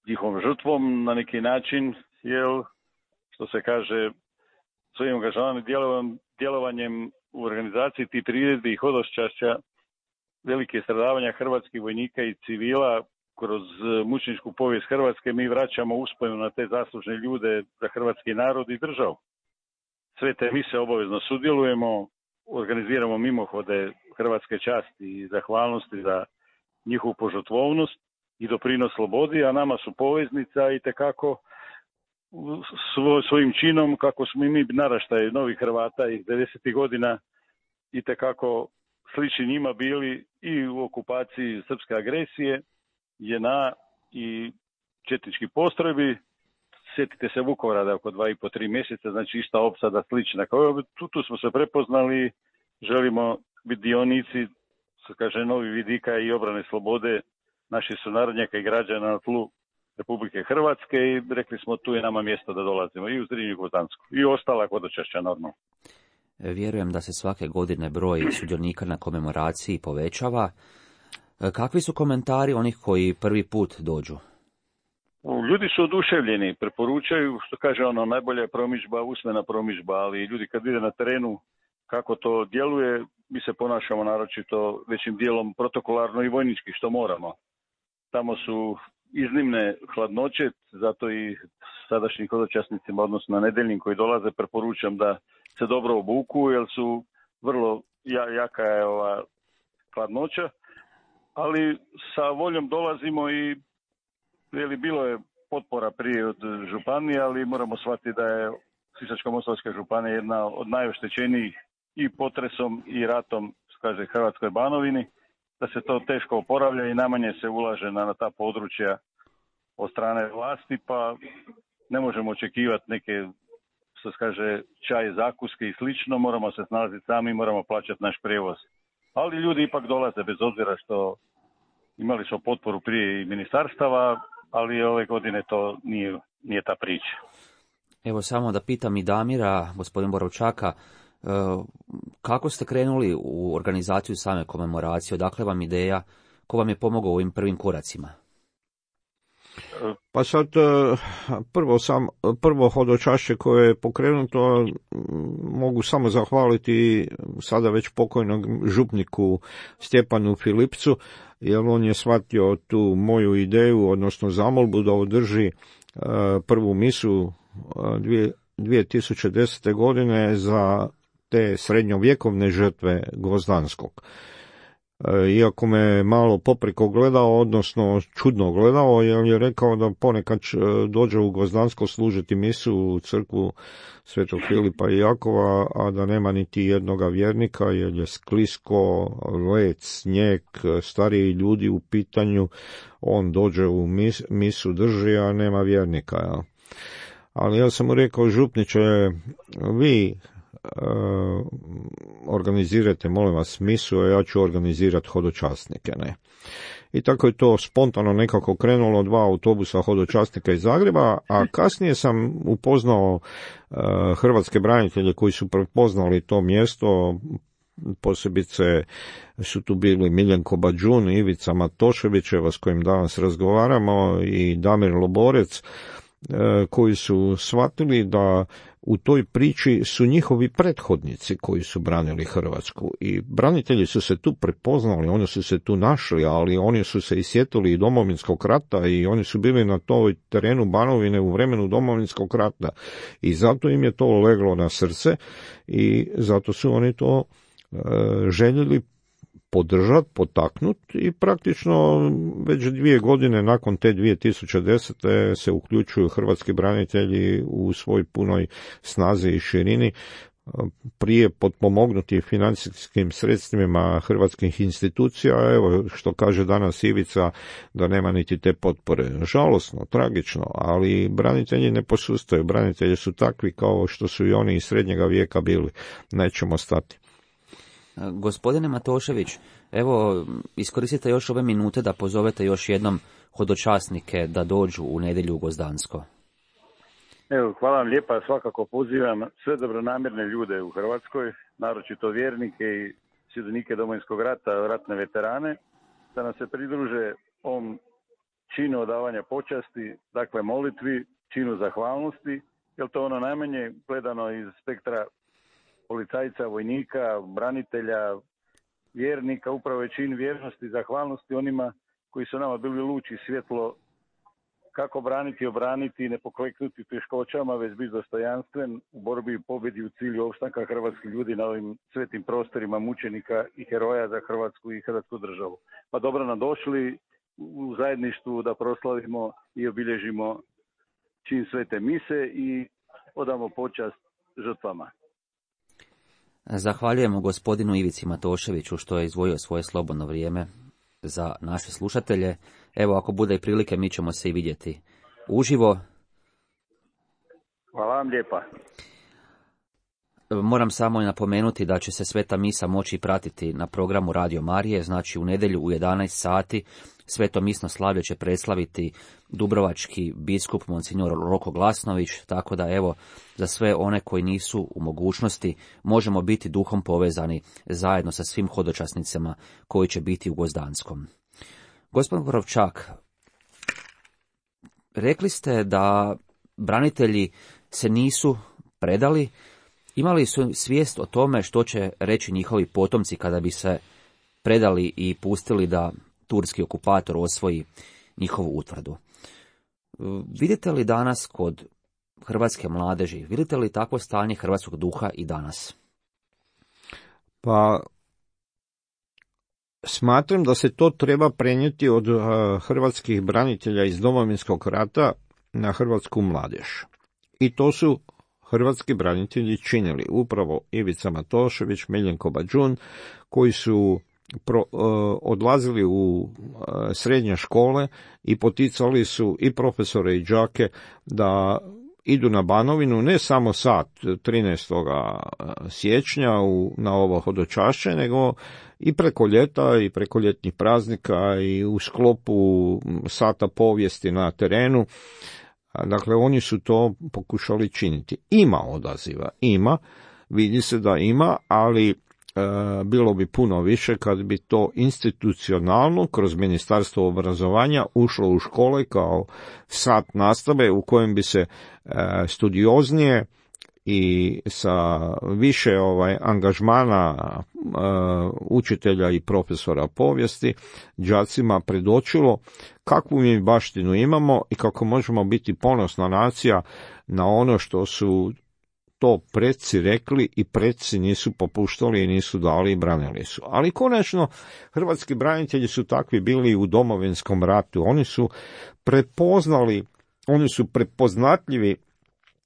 njihovom žrtvom na neki način, jer, što se kaže, svojim angažovanim djelovanjem u organizaciji tih trijedbi i hodoščašća velike stradavanja hrvatskih vojnika i civila kroz mučeničku povijest Hrvatske mi vraćamo uspomenu na te zaslužne ljude za hrvatski narod i državu. Sve te mi se obavezno sudjelujemo, organiziramo mimohode hrvatske časti i zahvalnosti za njihovu požrtvovnost i doprinos slobodi, a nama su poveznica i tekako svoj, svojim činom, kako smo i mi naraštaj novih Hrvata iz devedesetih godina i tekako slični njima bili i u okupaciji srpske agresije, J N A i četnički postrojbi. Sjetite se Vukovara da oko dva i po tri mjeseca, znači ista opsada slična. Kao tu, tu smo se prepoznali, želimo biti dionici, se kaže, novi vidika i obrane slobode naših sunarodnjaka i građana na tlu Republike Hrvatske i rekli smo tu je nama mjesto da dolazimo i u Zrinju i Gvozdansku i ostala hodočašća normalno. Vjerujem da se svake godine broj sudionika na komemoraciji povećava. Kakvi su komentari onih koji prvi put dođu? Ljudi su oduševljeni, preporučaju, što kaže ono, najbolja je promidžba, usmena promidžba, ali ljudi kad vide na terenu kako to djeluje, mi se ponašamo naročito većim dijelom protokolarno i vojnički, što moramo. Tamo su iznimne hladnoće, zato i sadašnjim hodočasnicima, odnosno na nedeljnim koji dolaze, preporučam da se dobro obuku, jer su vrlo jaka je ova hladnoća, ali sa voljom dolazimo i Veli, bilo je potpora prije od županije, ali moramo shvatiti da je Sisačko-moslavačka županija jedna od najoštećenijih i potresom i ratom, kaže, Hrvatskoj Banovini, da se to teško oporavlja i najmanje se ulaže na, na ta područja od strane vlasti, pa ne možemo očekivati neke, što se kaže, čaj, zakuske i slično, moramo se snalaziti sami, moramo plaćati naš prijevoz. Ali ljudi ipak dolaze bez obzira što imali smo potporu prije i ministarstava, ali ove godine to nije, nije ta priča. Evo samo da pitam i Damira, gospodin Borovčaka, kako ste krenuli u organizaciju same komemoracije, odakle vam ideja, ko vam je pomogao u ovim prvim koracima? Pa sad, prvo, sam, prvo hodočašće koje je pokrenuto, mogu samo zahvaliti sada već pokojnog župniku Stjepanu Filipcu, jer on je shvatio tu moju ideju, odnosno zamolbu da održi prvu misu dvije tisuće desete. godine za te srednjovjekovne žrtve Gvozdanskog. Iako me malo popriko gledao, odnosno čudno gledao, jer je rekao da ponekad dođe u Gvozdansko služiti misu u crkvu Svetog Filipa i Jakova, a da nema niti jednoga vjernika, jer je sklisko, led, snijeg, stariji ljudi u pitanju, on dođe u mis, misu drži, a nema vjernika. Ja. Ali ja sam mu rekao, župniče, vi Uh, organizirajte, molim vas, misu, a ja ću organizirati hodočasnike, ne. I tako je to spontano nekako krenulo, dva autobusa hodočasnika iz Zagreba, a kasnije sam upoznao uh, hrvatske branitelje koji su prepoznali to mjesto, posebice su tu bili Miljenko Badžun, Ivica Matoševićeva s kojim danas razgovaramo i Damir Loborec, uh, koji su shvatili da u toj priči su njihovi prethodnici koji su branili Hrvatsku i branitelji su se tu prepoznali, oni su se tu našli, ali oni su se i sjetili i Domovinskog rata i oni su bili na toj terenu Banovine u vremenu Domovinskog rata i zato im je to leglo na srce i zato su oni to e, željeli podržati, potaknuti i praktično već dvije godine nakon te dvije tisuće desete. se uključuju hrvatski branitelji u svoj punoj snazi i širini, prije potpomognuti financijskim sredstvima hrvatskih institucija, evo što kaže danas Ivica, da nema niti te potpore. Žalosno, tragično, ali branitelji ne posustaju, branitelji su takvi kao što su i oni iz srednjega vijeka bili, nećemo stati. Gospodine Matošević, evo, iskoristite još ove minute da pozovete još jednom hodočasnike da dođu u nedjelju u Gvozdansko. Evo, hvala vam lijepa, svakako pozivam sve dobronamjerne ljude u Hrvatskoj, naročito vjernike i sudionike Domovinskog rata, ratne veterane, da nam se pridruže ovom činu odavanja počasti, dakle molitvi, činu zahvalnosti, jer to ono najmanje gledano iz spektra policajca, vojnika, branitelja, vjernika, upravo je čin vjernosti i zahvalnosti onima koji su nama bili luč i svjetlo kako braniti, obraniti i ne pokleknuti teškoćama, već biti dostojanstven u borbi i pobjedi u cilju opstanka hrvatskih ljudi na ovim svetim prostorima mučenika i heroja za Hrvatsku i hrvatsku državu. Pa dobro nam došli u zajedništvu da proslavimo i obilježimo čin svete mise i odamo počast žrtvama. Zahvaljujemo gospodinu Ivici Matoševiću što je izdvojio svoje slobodno vrijeme za naše slušatelje. Evo, ako bude i prilike, mi ćemo se i vidjeti uživo. Hvala vam lijepa. Moram samo i napomenuti da će se sveta misa moći pratiti na programu Radio Marije, znači u nedjelju u jedanaest sati sveto misno slavlje će predstaviti dubrovački biskup Monsignor Roko Glasnović, tako da evo, za sve one koji nisu u mogućnosti, možemo biti duhom povezani zajedno sa svim hodočasnicama koji će biti u Gvozdanskom. Gospodin Borovčak, rekli ste da branitelji se nisu predali, imali su svijest o tome što će reći njihovi potomci kada bi se predali i pustili da turski okupator osvoji njihovu utvrdu. Vidite li danas kod hrvatske mladeži, vidite li takvo stanje hrvatskog duha i danas? Pa, smatram da se to treba prenijeti od uh, hrvatskih branitelja iz Domovinskog rata na hrvatsku mladež. I to su hrvatski branitelji činili, upravo Ivica Matošević, Miljenko Badžun, koji su pro, uh, odlazili u uh, srednje škole i poticali su i profesore i đake da idu na Banovinu ne samo sad trinaestog siječnja u, na ovo hodočašće, nego i preko ljeta i preko ljetnih praznika i u sklopu sata povijesti na terenu. Dakle, oni su to pokušali činiti. Ima odaziva, ima, vidi se da ima, ali E, bilo bi puno više kad bi to institucionalno kroz Ministarstvo obrazovanja ušlo u škole kao sat nastave u kojem bi se e, studioznije i sa više ovaj angažmana e, učitelja i profesora povijesti đacima predočilo kakvu mi baštinu imamo i kako možemo biti ponosna nacija na ono što su to preci rekli i preci nisu popuštali i nisu dali i branili su. Ali konačno, hrvatski branitelji su takvi bili u Domovinskom ratu. Oni su prepoznali, oni su prepoznatljivi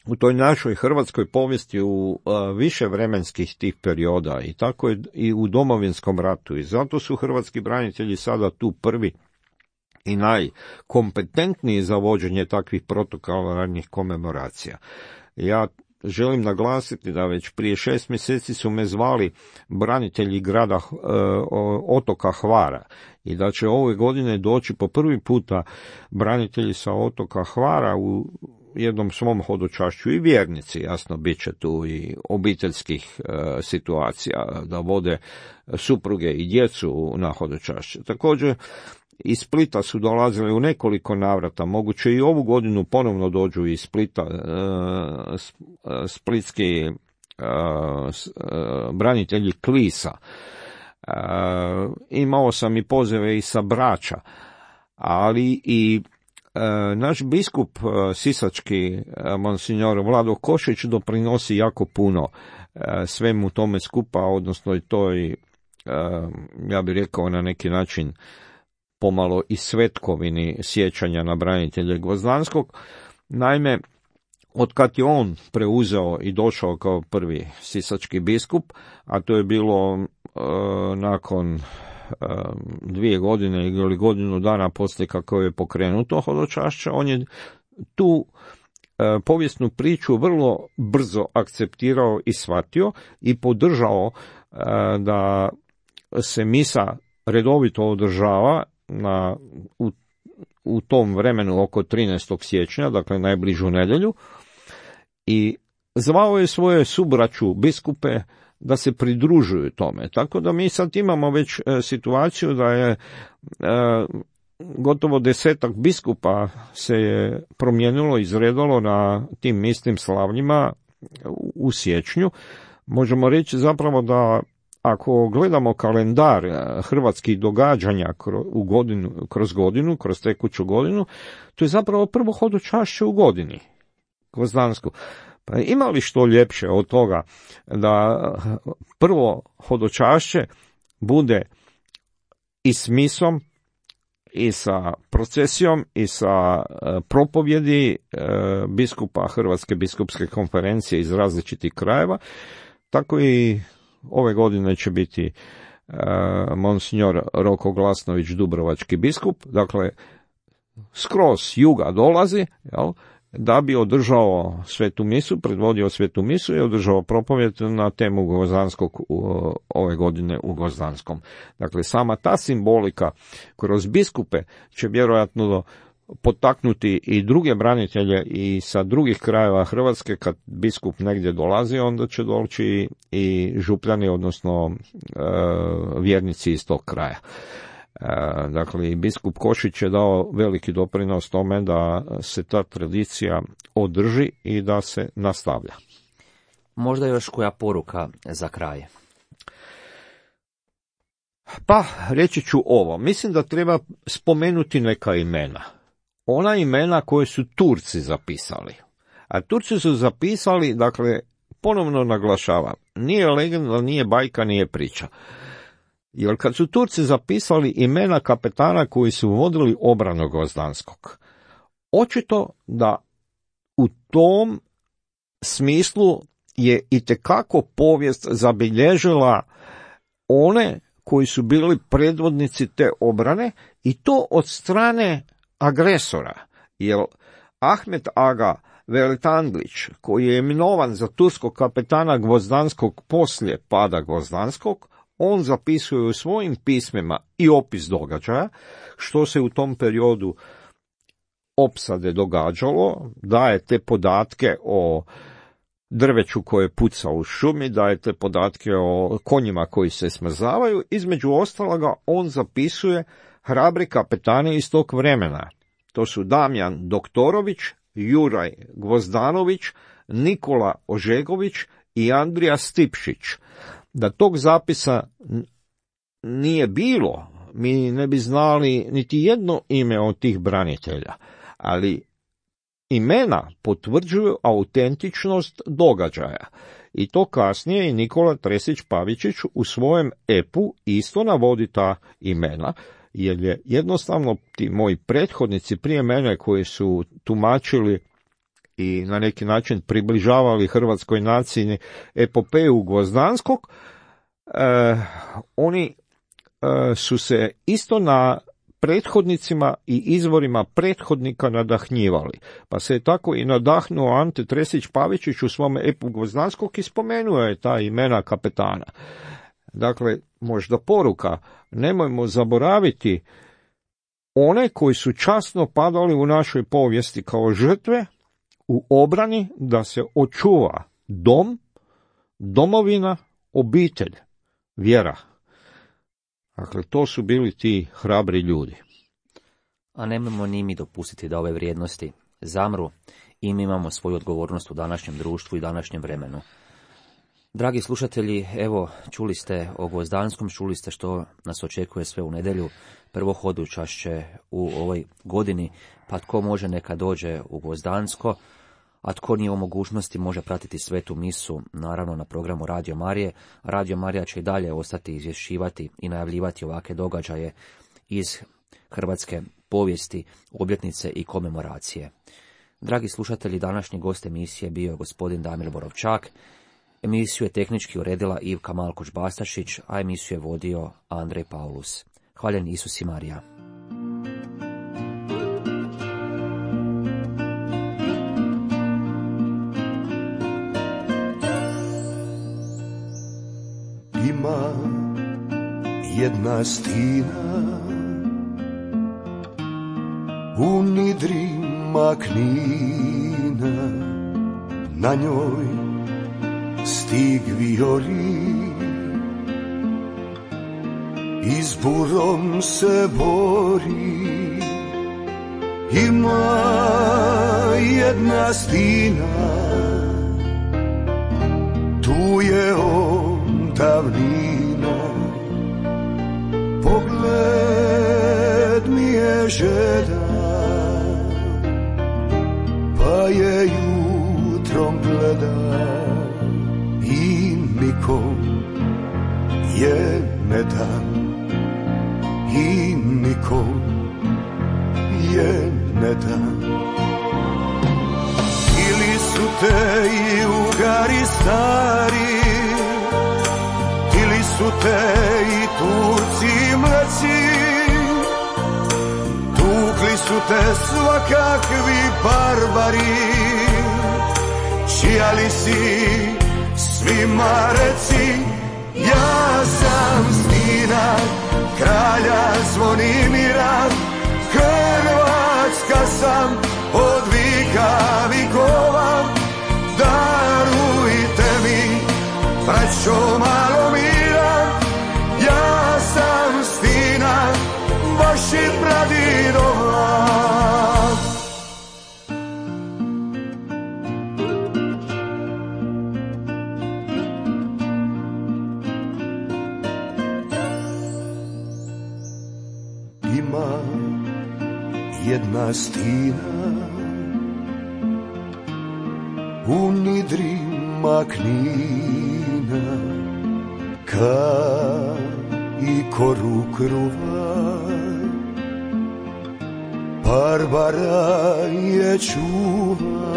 u toj našoj hrvatskoj povijesti u uh, više vremenskih tih perioda i tako je i u Domovinskom ratu. I zato su hrvatski branitelji sada tu prvi i najkompetentniji za vođenje takvih protokolarnih komemoracija. Ja želim naglasiti da već prije šest mjeseci su me zvali branitelji grada e, otoka Hvara i da će ove godine doći po prvi puta branitelji sa otoka Hvara u jednom svom hodočašću i vjernici, jasno, bit će tu i obiteljskih e, situacija da vode supruge i djecu na hodočašće. Također iz Splita su dolazili u nekoliko navrata, moguće i ovu godinu ponovno dođu iz Splita, e, splitski e, e, branitelji Klisa. E, imao sam i pozove i sa Brača, ali i e, naš biskup e, sisački, e, monsignor Vlado Košić, doprinosi jako puno e, svemu tome skupa, odnosno i toj, e, ja bih rekao na neki način, pomalo i svetkovini sjećanja na branitelje Gvozdanskog. Naime, otkad je on preuzeo i došao kao prvi sisački biskup, a to je bilo e, nakon e, dvije godine ili godinu dana poslije kako je pokrenuto hodočašće, on je tu e, povijesnu priču vrlo brzo akceptirao i shvatio i podržao e, da se misa redovito održava na, u, u tom vremenu oko trinaestog siječnja, dakle najbližu nedjelju, i zvao je svoje subraću biskupe da se pridružuju tome. Tako da mi sad imamo već e, situaciju da je e, gotovo desetak biskupa se je promijenilo, izredalo na tim istim slavljima u, u siječnju. Možemo reći zapravo da ako gledamo kalendar hrvatskih događanja u godinu, kroz godinu, kroz tekuću godinu, to je zapravo prvo hodočašće u godini, Gvozdansku. Pa ima li što ljepše od toga da prvo hodočašće bude i s misom, i sa procesijom, i sa propovjedi biskupa Hrvatske biskupske konferencije iz različitih krajeva, tako i ove godine će biti uh, monsignor Roko Glasnović, dubrovački biskup, dakle skroz juga dolazi, jel, da bi održao svetu misu, predvodio svetu misu i održao propovjed na temu Gvozdanskog uh, ove godine u Gvozdanskom. Dakle, sama ta simbolika kroz biskupe će vjerojatno do potaknuti i druge branitelje i sa drugih krajeva Hrvatske. Kad biskup negdje dolazi, onda će doći i župljani, odnosno e, vjernici iz tog kraja. E, dakle, biskup Košić je dao veliki doprinos tome da se ta tradicija održi i da se nastavlja. Možda još koja poruka za kraj? Pa, reći ću ovo. Mislim da treba spomenuti neka imena. Ona imena koje su Turci zapisali. A Turci su zapisali, dakle, ponovno naglašavam, nije legenda, nije bajka, nije priča. Jer kad su Turci zapisali imena kapetana koji su vodili obranu Gvozdanskog, očito da u tom smislu je itekako povijest zabilježila one koji su bili predvodnici te obrane, i to od strane agresora, jer Ahmet Aga Veletandlić, koji je imenovan za turskog kapetana Gvozdanskog poslije pada Gvozdanskog, on zapisuje u svojim pismima i opis događaja, što se u tom periodu opsade događalo, daje te podatke o drveću koje puca u šumi, daje te podatke o konjima koji se smrzavaju. Između ostaloga on zapisuje hrabri kapetani iz tog vremena. To su Damjan Doktorović, Juraj Gvozdanović, Nikola Ožegović i Andrija Stipšić. Da tog zapisa nije bilo, mi ne bi znali niti jedno ime od tih branitelja, ali imena potvrđuju autentičnost događaja. I to kasnije i Nikola Tresić Pavičić u svojem epu isto navodi ta imena, jer je jednostavno ti moji prethodnici prije mene koji su tumačili i na neki način približavali hrvatskoj naciji epopeju Gvozdanskog, eh, oni eh, su se isto na prethodnicima i izvorima prethodnika nadahnjivali. Pa se je tako i nadahnuo Ante Tresić Pavičić u svom epu Gvozdanskog i spomenuo je ta imena kapetana. Dakle, možda poruka, nemojmo zaboraviti one koji su časno padali u našoj povijesti kao žrtve u obrani da se očuva dom, domovina, obitelj, vjera. Dakle, to su bili ti hrabri ljudi. A nemojmo ni mi dopustiti da ove vrijednosti zamru i mi imamo svoju odgovornost u današnjem društvu i današnjem vremenu. Dragi slušatelji, evo, čuli ste o Gvozdanskom, čuli ste što nas očekuje sve u nedjelju, prvo hodučašće u ovoj godini, pa tko može neka dođe u Gvozdansko, a tko nije u mogućnosti može pratiti svetu misu, naravno na programu Radio Marije. Radio Marija će i dalje ostati izvješćivati i najavljivati ovakve događaje iz hrvatske povijesti, obljetnice i komemoracije. Dragi slušatelji, današnji gost emisije bio je gospodin Damir Borovčak. Emisiju je tehnički uredila Ivka Malkoč-Bastašić, a emisiju je vodio Andrej Paulus. Hvaljen Isus i Marija. Ima jedna stina u nidrima Knina, na njoj stig vijori, i s burom se bori. Ima jedna stina, tu je on davnina, pogled mi je žedan, pa je jutrom gleda i nikom je ne da, i nikom je ne da. Ili su te i ugari stari, ili su te i Turci mleci, tukli su te svakakvi barbari, čija li si svima reci. Ja sam stina kralja Zvonimira, Hrvatska sam od vika vikova, darujte mi, braćo, malo mira. Ja sam stina vaših pradidova. Ima jedna stina u nidrima Knina, ka i koru kruva, Barbara je čuva.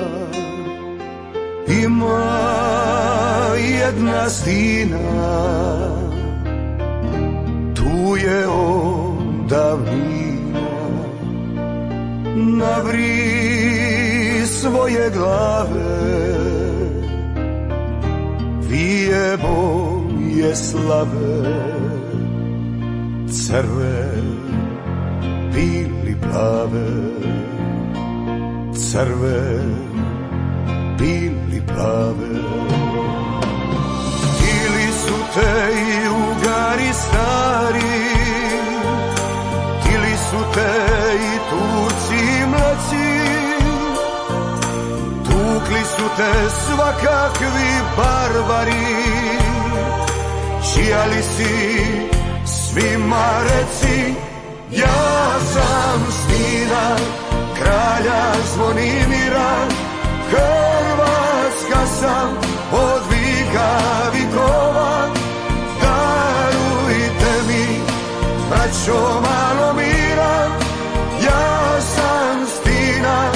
Ima jedna stina, tu je on davnina, na vri svoj svoje glave, vije moje slave, crve, bili plave, crve, bili plave. Tili su te i Ugari stari, tili su te i Turci mlaci, tukli su te svakakvi barbari, čijali si svima reci, ja sam stina kralja Zvonimira, Hrvatska sam od vika vikova, darujte mi, braćo, malo mira, ja sam stina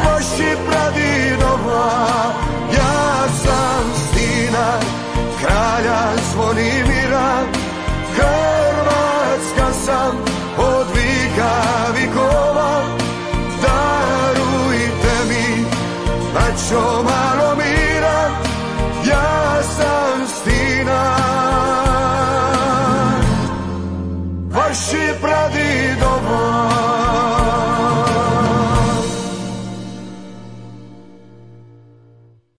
vaših pradidova, ja sam stina kralja Zvonimira, Hrvatska sam od vika vikova, darujte mi, braćo, malo mira, ja sam stina vaših